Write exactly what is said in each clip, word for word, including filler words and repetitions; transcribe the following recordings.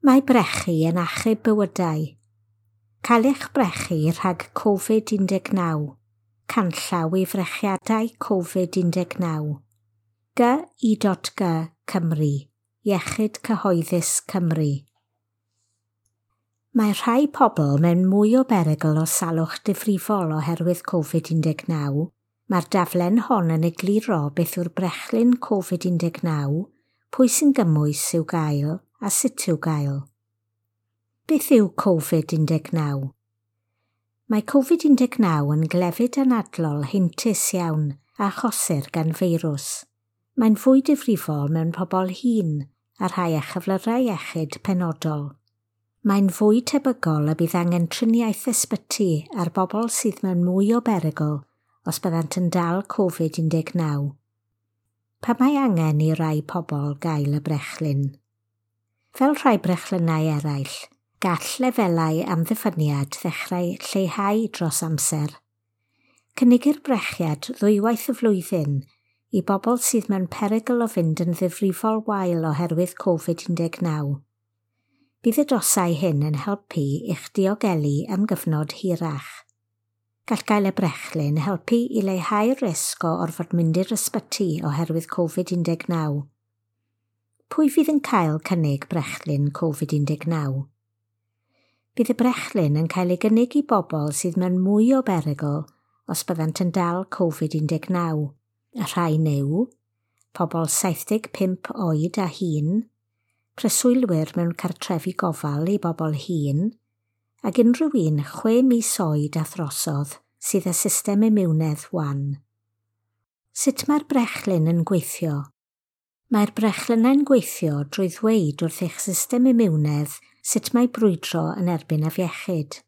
Mae brechu yn achub bywydau. Cael eich brechu rhag Covid un deg naw. Canllaw i frechiadau Covid un deg naw. G I dot G Cymru. Iechyd Cyhoeddus Cymru. Mae rhai pobl mewn mwy o berygl o salwch difrifol oherwydd Covid un deg naw. Mae'r daflen hon yn egluro beth yw'r brechlyn Covid un deg naw, pwy sy'n gymwys i'w gael a sut i'w gael. Beth yw Covid un deg naw? Mae Covid un deg naw yn glefyd anadlol heintus iawn a achosir gan feirws. Mae'n fwy difrifol mewn pobl hŷn a rhai â chyflyrau iechyd penodol. Mae'n fwy tebygol y bydd angen triniaeth ysbyty ar bobl sydd mewn mwy o berygl os byddant yn dal Covid un deg naw. Pam mae angen i rai pobl gael y brechlyn? Fel rhai brechlynnau eraill, gall lefelau amddiffyniad ddechrau lleihau dros amser. Cynigir brechiad ddwywaith y flwyddyn i bobl sydd mewn perygl o fynd yn ddifrifol wael oherwydd Covid un deg naw. Bydd y dosau hyn yn helpu i'ch diogelu am gyfnod hirach. Gall gael y brechlyn helpu i leihau'r risg o orfod mynd i'r ysbyty oherwydd Covid un deg naw. Pwy fydd yn cael cynnig brechlyn Covid un deg naw? Bydd y brechlyn yn cael ei gynnig i bobl sydd mewn mwy o berygl os byddant yn dal Covid un deg naw. Y rhain yw pobl saith deg pump oed a hŷn, preswylwyr mewn cartrefi gofal i bobl hŷn, ac unrhyw un chwe mis oed a throsodd sydd â system imiwnedd wan. Sut mae'r brechlyn yn gweithio? Mae'r brechlynnau'n gweithio drwy ddweud wrth eich system imiwnedd sut mae brwydro yn erbyn afiechyd.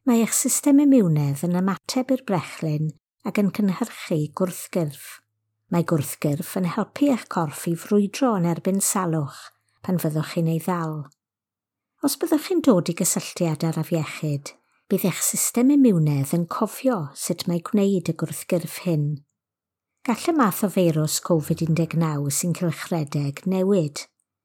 Mae eich system imiwnedd yn ymateb i'r brechlyn ac yn cynhyrchu gwrthgyrff. Mae gwrthgyrff yn helpu eich corff i frwydro yn erbyn salwch pan fyddwch chi'n ei ddal. Os byddwch chi'n dod i gysylltiad â'r afiechyd, bydd eich system imiwnedd yn cofio sut mae gwneud y gwrthgyrff hyn. Gall y math o feirws Covid un deg naw sy'n cylchredeg newid,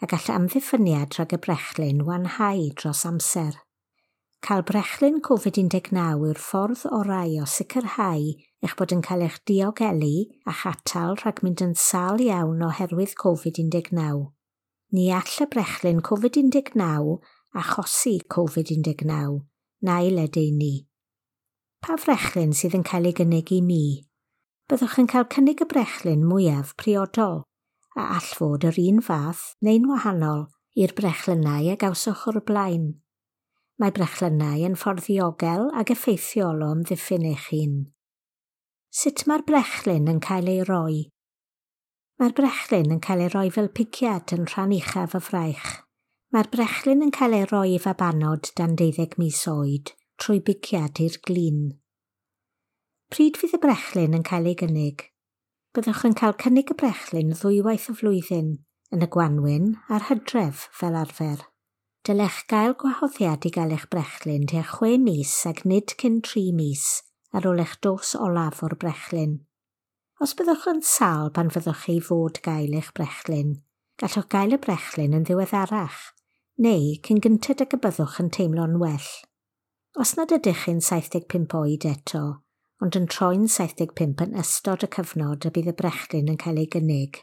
a gall amddiffyniad rhag y brechlyn wanhau dros amser. Cael brechlyn Covid un deg naw yw'r ffordd orau o sicrhau eich bod yn cael eich diogelu a'ch atal rhag mynd yn sâl iawn oherwydd Covid un deg naw. Ni all y brechlyn Covid un deg naw achosi Covid un deg naw, na'i ledaenu. Pa frechlyn sydd yn cael ei gynnig i mi? Byddwch yn cael cynnig y brechlyn mwyaf priodol, a all fod yr un fath neu'n wahanol i'r brechlynnau a gawsoch o'r blaen. Mae brechlynnau yn ffordd ddiogel ac effeithiol o amddiffyn eich hun. Sut mae'r brechlyn yn cael ei roi? Mae'r brechlyn yn cael ei roi fel pigiad yn rhan uchaf y fraich. Mae'r brechlyn yn cael ei roi i fabanod dan deuddeg mis oed trwy bigiad i'r glin. Pryd fydd y brechlyn yn cael ei gynnig? Byddwch yn cael cynnig y brechlyn ddwywaith y flwyddyn, yn y gwanwyn a'r hydref fel arfer. Dylech gael gwahoddiad i gael eich brechlyn tua chwe mis ac nid cyn tri mis ar ôl eich dos olaf o'r brechlyn. Os byddwch yn sâl pan fyddwch chi fod gael eich brechlyn, gallwch gael y brechlyn yn ddiweddarach, neu cyn gynted ag y byddwch yn teimlo'n well. Os nad ydych chi'n saith deg pump oed eto, ond yn troi'n saith deg pump yn ystod y cyfnod y bydd y brechlyn yn cael ei gynnig,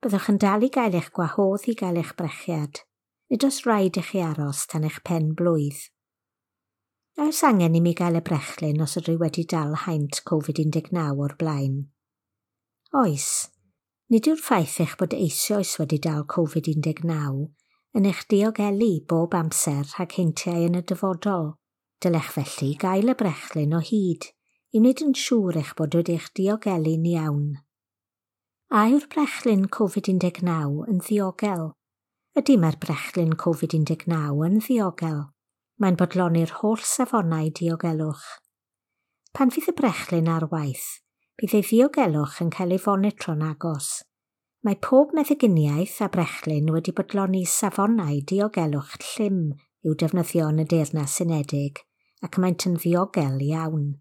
byddwch yn dal i gael eich gwahodd i gael eich brechiad. Nid oes rhaid i chi aros tan eich pen blwydd. A oes angen i mi gael y brechlyn os ydw i wedi dal haint Covid un deg naw o'r blaen? Oes. Nid yw'r ffaith eich bod eisoes wedi dal Covid un deg naw yn eich diogelu bob amser rhag heintiau yn y dyfodol. Dylech felly gael y brechlyn o hyd i wneud yn siŵr eich bod wedi eich diogelu'n iawn. A yw'r brechlyn Covid un deg naw yn ddiogel? Ydy mae'r brechlyn Covid un deg naw yn ddiogel. Mae'n bodloni'r holl safonau diogelwch. Pan fydd y brechlyn ar waith, bydd ei ddiogelwch yn cael ei fonitro'n agos. Mae pob meddyginiaeth a brechlyn wedi bodloni safonau diogelwch llym i'w defnyddio yn y Deyrnas Unedig, ac maent yn ddiogel iawn.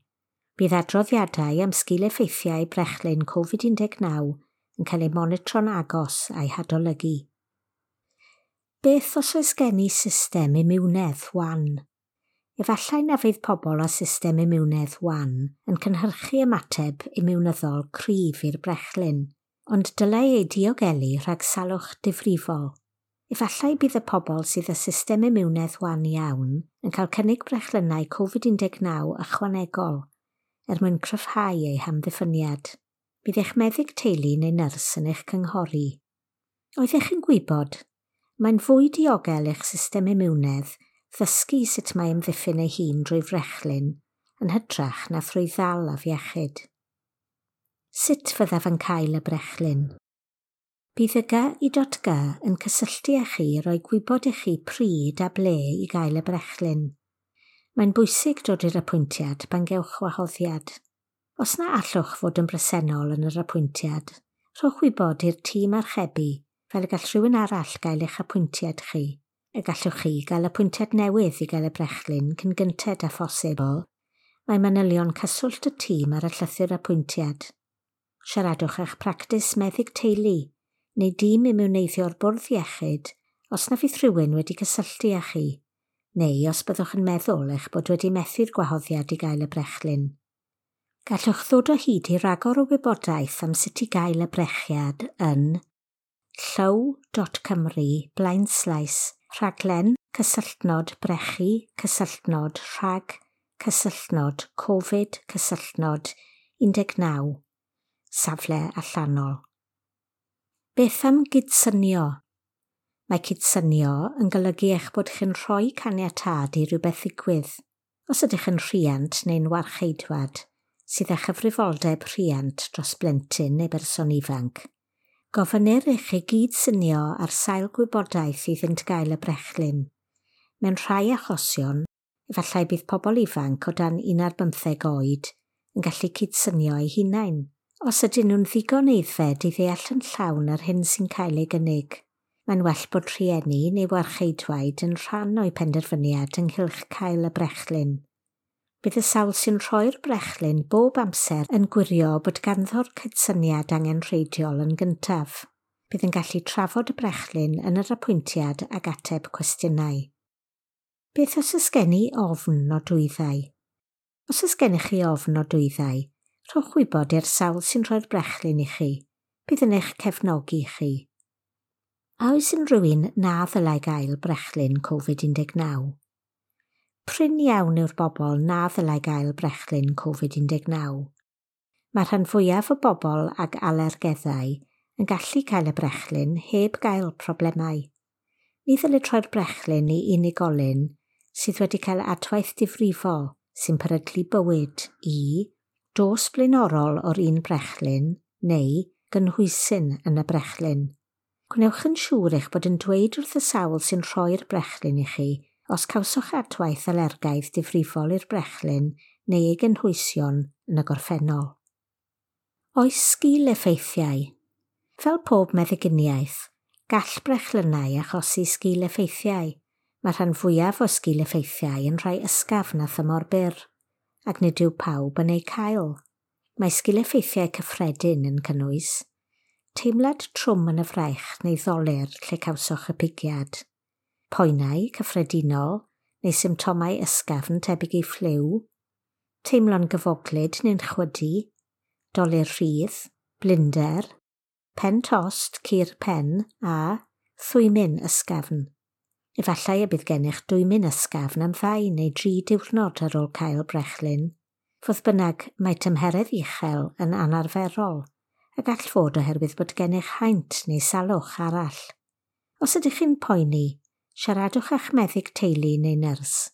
Bydd adroddiadau am sgil-effeithiau brechlyn Covid un deg naw yn cael eu monitro'n agos a'i hadolygu. Beth os oes gen i system imiwnedd wan? Efallai na fydd pobl â system imiwnedd wan yn cynhyrchu ymateb imiwnyddol cryf i'r brechlyn, ond dylai ei diogelu rhag salwch difrifol. Efallai bydd y pobl sydd â system imiwnedd wan iawn yn cael cynnig brechlynnau Covid un deg naw ychwanegol er mwyn cryfhau eu hamddiffyniad. Bydd eich meddyg teulu neu nyrs yn eich cynghori. Oeddech chi'n gwybod? Mae'n fwy diogel eich system imiwnedd ddysgu sut mae ymddiffyn ei hun drwy frechlyn yn hytrach na thrwy ddal afiechyd. Sut fyddaf yn cael y brechlyn? Bydd y G I dot G yn cysylltu â chi i roi gwybod i chi pryd a ble i gael y brechlyn. Mae'n bwysig dod i'r apwyntiad pan gewch wahoddiad. Os na allwch fod yn bresennol yn yr apwyntiad, rhowch wybod i'r tîm archebu fel y gall rhywun arall gael eich apwyntiad chi. Y gallwch chi gael apwyntiad newydd i gael y brechlyn cyn gynted â phosibl. Mae manylion cyswllt y tîm ar y llythyr apwyntiad. Siaradwch â'ch practis meddyg teulu neu dîm imiwneiddio'r bwrdd iechyd os na fydd rhywun wedi cysylltu â chi, neu os byddwch yn meddwl eich bod wedi methu'r gwahoddiad i gael y brechlyn. Gallwch ddod o hyd i ragor o wybodaeth am sut i gael y brechiad yn llyw dot cymru blaenslaes rhaglen cysylltnod brechu cysylltnod rhag cysylltnod Covid cysylltnod un deg naw safle allanol. Beth am gydsynio? Mae cydsynio yn golygu eich bod chi'n rhoi caniatâd i rywbeth ddigwydd. Os ydych yn rhiant neu'n warcheidwad sydd â chyfrifoldeb rhiant dros blentyn neu berson ifanc, gofynnir i chi gydsynio ar sail gwybodaeth iddynt gael y brechlyn. Mewn rhai achosion, efallai bydd pobl ifanc o dan un ar bymtheg oed yn gallu cydsynio eu hunain, os ydyn nhw'n ddigon aeddfed i ddeall yn llawn yr hyn sy'n cael ei gynnig. Mae'n well bod rhieni neu warcheidwaid yn rhan o'u penderfyniad ynghylch cael y brechlyn. Bydd y sawl sy'n rhoi'r brechlyn bob amser yn gwirio bod ganddo'r cydsyniad angenrheidiol yn gyntaf. Bydd yn gallu trafod y brechlyn yn yr apwyntiad ac ateb cwestiynau. Beth os oes gen i ofn nodwyddau? Os oes gennych chi ofn nodwyddau, rhowch wybod i'r sawl sy'n rhoi'r brechlyn i chi. Bydd yn eich cefnogi chi. A oes unrhyw un na ddylai gael brechlyn Covid un deg naw? Prin iawn yw'r bobl na ddylai gael brechlyn Covid un deg naw. Mae'r rhan fwyaf o bobl ag alergeddau yn gallu cael y brechlyn heb gael problemau. Ni ddylid rhoi'r brechlyn i unigolyn sydd wedi cael adwaith difrifol sy'n peryglu bywyd i dos blaenorol o'r un brechlyn neu gynhwysyn yn y brechlyn. Gwnewch yn siŵr eich bod yn dweud wrth y sawl sy'n rhoi'r brechlyn i chi os cawsoch adwaith alergaidd difrifol i'r brechlyn neu ei gynhwysion yn y gorffennol. Oes sgil-effeithiau? Fel pob meddyginiaeth, gall brechlynnau achosi sgil-effeithiau. Mae rhan fwyaf o sgil-effeithiau yn rhai ysgafn a thymor byr, ac nid yw pawb yn eu cael. Mae sgil-effeithiau cyffredin yn cynnwys teimlad trwm yn y fraich neu ddolur lle cawsoch y pigiad, poenau cyffredinol neu symptomau ysgafn tebyg i ffliw, teimlo'n gyfoglyd neu'n chwydu, dolur rhydd, blinder, pen tost, cur pen a thwymyn ysgafn. Efallai y bydd gennych dwymyn ysgafn am ddau neu dri diwrnod ar ôl cael brechlyn. Fodd bynnag, mae tymheredd uchel yn anarferol a gall fod oherwydd bod gennych haint neu salwch arall. Os ydych chi'n poeni, siaradwch â'ch meddyg teulu neu nyrs.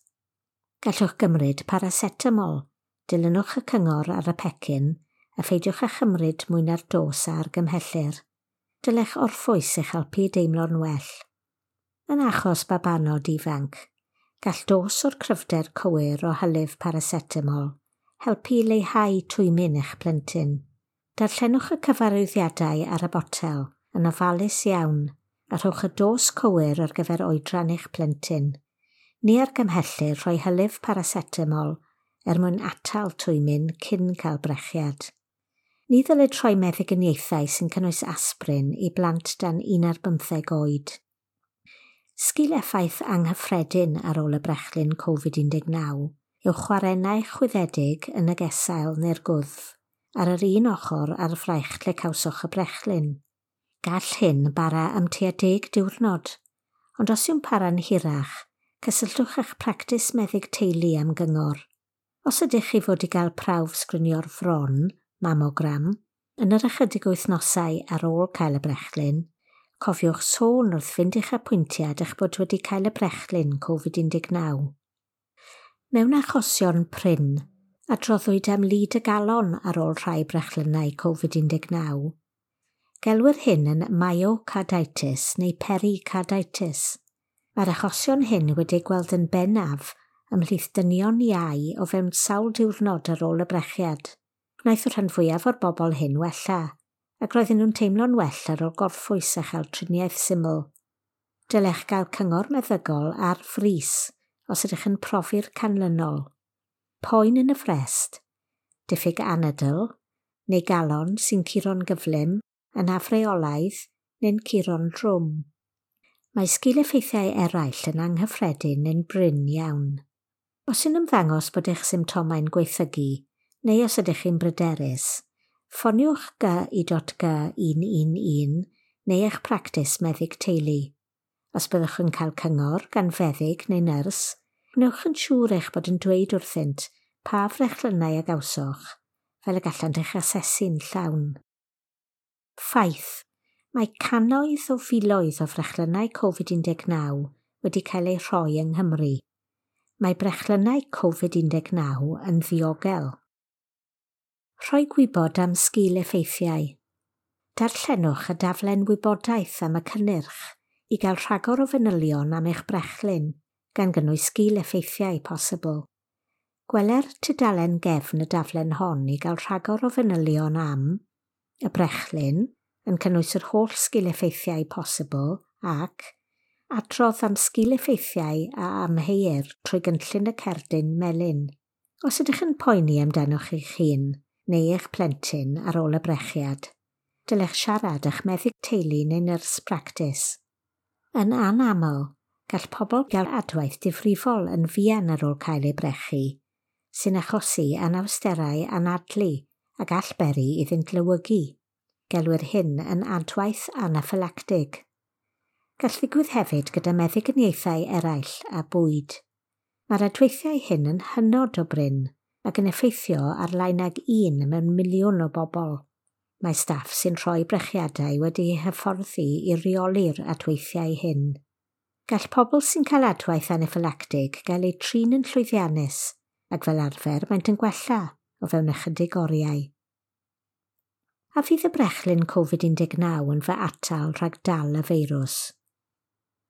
Gallwch gymryd paracetamol, dilynwch y cyngor ar y pecyn a pheidiwch â chymryd mwy na'r dos a argymhellir. Dylech orffwys eich helpu i deimlo'n well. Yn achos babanod ifanc, gall dos o'r cryfder cywir o hylif paracetamol helpu i leihau twymyn eich plentyn. Darllenwch y cyfarwyddiadau ar y botel yn ofalus iawn a rhowch y dos cywir ar gyfer oedran eich plentyn. Ni argymhellir rhoi hylif paracetamol er mwyn atal twymyn cyn cael brechiad. Ni ddylid rhoi meddyginiaethau sy'n cynnwys aspirin i blant dan un ar bymtheg oed. Sgil effaith anghyffredin ar ôl y brechlyn Covid un deg naw yw chwarennau chwyddedig yn y gesail neu'r gwddf ar yr un ochr a'r fraich lle cawsoch y brechlyn. Gall hyn bara am tua deg diwrnod, ond os yw'n para'n hirach, cysylltwch â'ch practis meddyg teulu am gyngor. Os ydych chi fod i gael prawf sgrinio'r fron, mammogram, yn yr ychydig wythnosau ar ôl cael y brechlyn, cofiwch sôn wrth fynd i'ch apwyntiad eich bod wedi cael y brechlyn Covid un deg naw. Mewn achosion prin, adroddwyd am lid y galon ar ôl rhai brechlynnau Covid un deg naw. Gelwir hyn yn myocarditis neu pericarditis. Mae'r achosion hyn wedi gweld yn bennaf ymhlith dynion iau o fewn sawl diwrnod ar ôl y brechiad. Gwnaeth y rhan fwyaf o'r bobl hyn wella, ac roedden nhw'n teimlo'n well ar ôl gorffwys a chael triniaeth syml. Dylech gael cyngor meddygol ar frys os ydych yn profi'r canlynol. Poen yn y frest, diffyg anadl, neu galon sy'n curo'n gyflym, yn afreolaidd neu'n curo'n drwm. Mae sgil-effeithiau eraill yn anghyffredin neu'n brin iawn. Os yw'n ymddangos bod eich symptomau'n gwaethygu, neu os ydych chi'n bryderus, ffoniwch G I G un un un neu eich practis meddyg teulu. Os byddwch yn cael cyngor gan feddyg neu nyrs, gwnewch yn siŵr eich bod yn dweud wrthynt pa frechlynnau a gawsoch, fel y gallant eich asesu'n llawn. Ffaith, mae cannoedd o filoedd o frechlynnau Covid un deg naw wedi cael eu rhoi yng Nghymru. Mae brechlynnau Covid un deg naw yn ddiogel. Rhoi gwybod am sgil-effeithiau. Darllenwch y daflen wybodaeth am y cynnyrch i gael rhagor o fanylion am eich brechlyn, gan gynnwys sgil-effeithiau posibl. Gweler tudalen gefn y daflen hon i gael rhagor o fanylion am y brechlyn, yn cynnwys yr holl sgil-effeithiau posibl ac adrodd am sgil-effeithiau a amheuir trwy gynllun y cerdyn melyn. Os ydych yn poeni amdanoch eich hun neu eich plentyn ar ôl y brechiad, dylech siarad â'ch meddyg teulu neu nyrs practis. Yn anaml, gall pobl gael adwaith difrifol yn fuan ar ôl cael eu brechu, sy'n achosi anawsterau anadlu a gall beri iddynt lewygu. Gelwir hyn yn adwaith anaffylactig. Gall ddigwydd hefyd gyda meddyginiaethau eraill a bwyd. Mae'r adweithiau hyn yn hynod o brin ac yn effeithio ar lai nag un mewn miliwn o bobl. Mae staff sy'n rhoi brechiadau wedi'u hyfforddi i reoli'r adweithiau hyn. Gall pobl sy'n cael adwaith anaffylactig gael eu trin yn llwyddiannus ac fel arfer maent yn gwella o fewn ychydig oriau. A fydd y brechlyn Covid un deg naw yn fy atal rhag dal y feirws?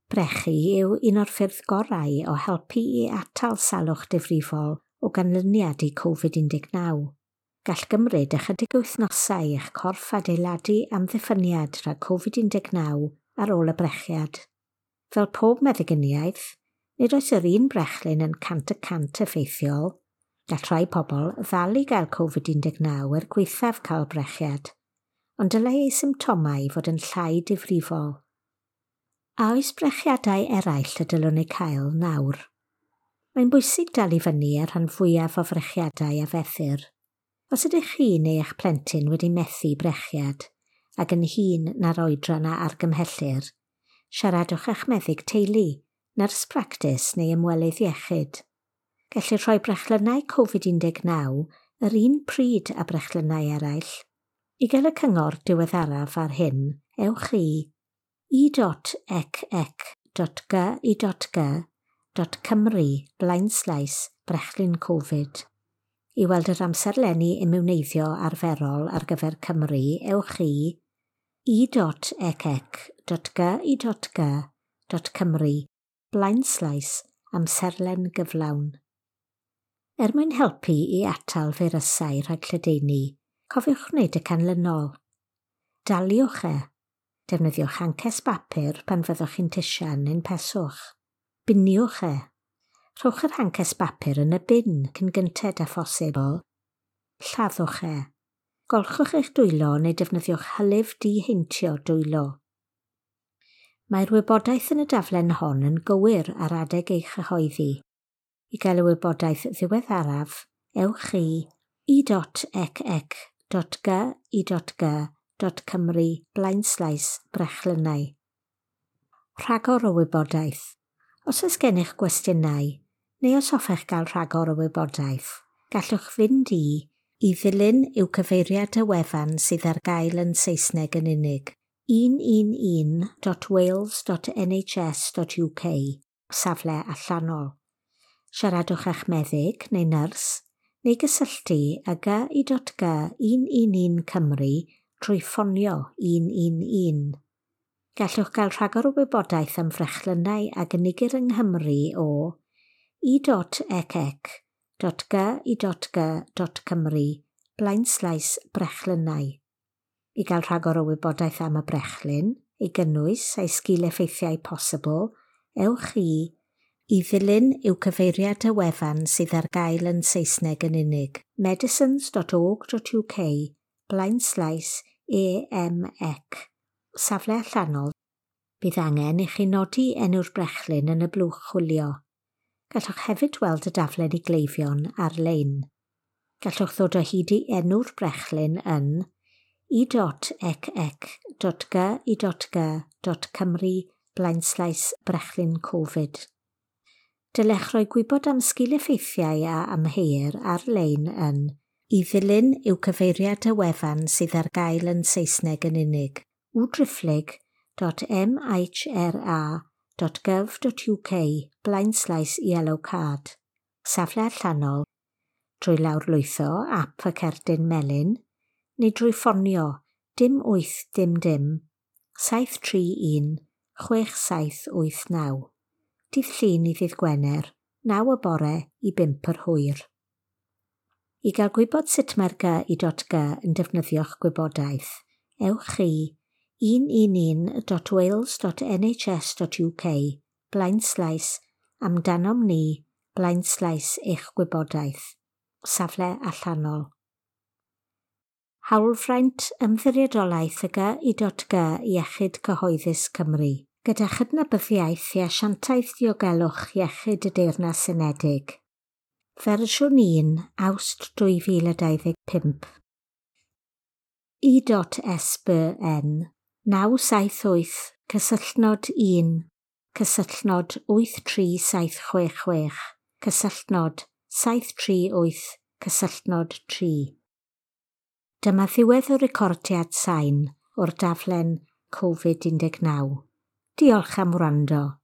Brechu yw un o'r ffyrdd gorau o helpu i atal salwch difrifol o ganlyniad i Covid un deg naw. Gall gymryd ychydig wythnosau i'ch corff adeiladu amddiffyniad rhag Covid un deg naw ar ôl y brechiad. Fel pob meddyginiaeth, nid oes yr un brechlyn yn cant y cant effeithiol. Gall rhai pobl ddal i gael Covid un deg naw er gwaethaf cael brechiad, ond dylai eu symptomau fod yn llai difrifol. A oes brechiadau eraill y dylwn eu cael nawr? Mae'n bwysig dal i fyny ar rhan fwyaf o frechiadau a fethir. Os ydych chi neu eich plentyn wedi methu brechiad, ac yn hŷn na'r oedran a argymhellir, siaradwch â'ch meddyg teulu, nyrs practis neu ymwelydd iechyd. Gellir rhoi brechlynnau Covid un deg naw yr un pryd â brechlynnau eraill. I gael y cyngor diweddaraf ar hyn, ewch i e dot ec ec dot g i dot g dot cymru blaenslaes brechlyn Covid. I weld yr amserlenni imiwneiddio arferol ar gyfer Cymru, ewch i e dot ec ec dot g i dot g dot cymru blaenslaes amserlen gyflawn. Er mwyn helpu i atal feirysau rhag lledaenu, cofiwch wneud y canlynol. Daliwch e. Defnyddiwch hancesi bapur pan fyddwch chi'n tisian neu'n peswch. Biniwch e. Rhowch yr hancesi bapur yn y bin cyn gynted â phosibl. Lladdwch e. Golchwch eich dwylo neu defnyddiwch hylif diheintio dwylo. Mae'r wybodaeth yn y daflen hon yn gywir ar adeg ei chyhoeddi. I gael y wybodaeth ddiweddaraf, ewch i e dot ec ec dot g i dot g dot cymru blaenslaes brechlynnau. Rhagor o wybodaeth. Os oes gennych gwestiynau, neu os hoffech gael rhagor o wybodaeth, gallwch fynd i i ddilyn yw cyfeiriad y wefan sydd ar gael yn Saesneg yn unig un un un dot wales dot N H S dot U K, safle allanol. Siaradwch â'ch meddyg neu nyrs, neu gysylltu â G I dot G un un un Cymru trwy ffonio un un un. Gallwch gael rhagor o wybodaeth am frechlynnau a gynigir yng Nghymru o e dot ec ec dot G I dot G dot Cymru blaenslaes brechlynnau. I gael rhagor o wybodaeth am y brechlyn, ei gynnwys a'i sgil-effeithiau posibl, ewch i i ddilyn yw cyfeiriad y wefan sydd ar gael yn Saesneg yn unig medicines dot org dot U K blaenslaes E M E C, safle allanol. Bydd angen i chi nodi enw'r brechlyn yn y blwch chwilio. Gallwch hefyd weld y daflen i gleifion ar-lein. Gallwch ddod o hyd i enw'r brechlyn yn e dot ec ec dot G I dot G dot Cymru blaenslaes brechlyn Covid. Dylech roi gwybod am sgil-effeithiau a amheuir ar-lein yn i ddilyn yw cyfeiriad y wefan sydd ar gael yn Saesneg yn unig w driphlyg dot M H R A dot gov dot U K blaenslaes yellow card, safle allanol, drwy lawrlwytho ap y cerdyn melyn, neu drwy ffonio dim wyth dim dim, saith tri un, chwech saith wyth naw. Dydd Llun i ddydd Gwener, naw y bore i bump yr hwyr. I gael gwybod sut mae'r G I dot G yn defnyddio'ch gwybodaeth, ewch i un un un dot wales dot N H S dot U K blaenslaes amdanom ni blaenslaes eich gwybodaeth, safle allanol. Hawlfraint Ymddiriedolaeth y G I dot G Iechyd Cyhoeddus Cymru, gyda chydnabyddiaeth i Asiantaeth Diogelwch Iechyd y Deyrnas Unedig. Fersiwn un, Awst dwy fil a dau ddeg pump. I S B N naw saith wyth cysylltnod un cysylltnod wyth tri saith chwech chwech cysylltnod saith tri wyth cysylltnod tri. Dyma ddiwedd y recordiad sain o'r daflen Covid un deg naw. Diolch am wrando.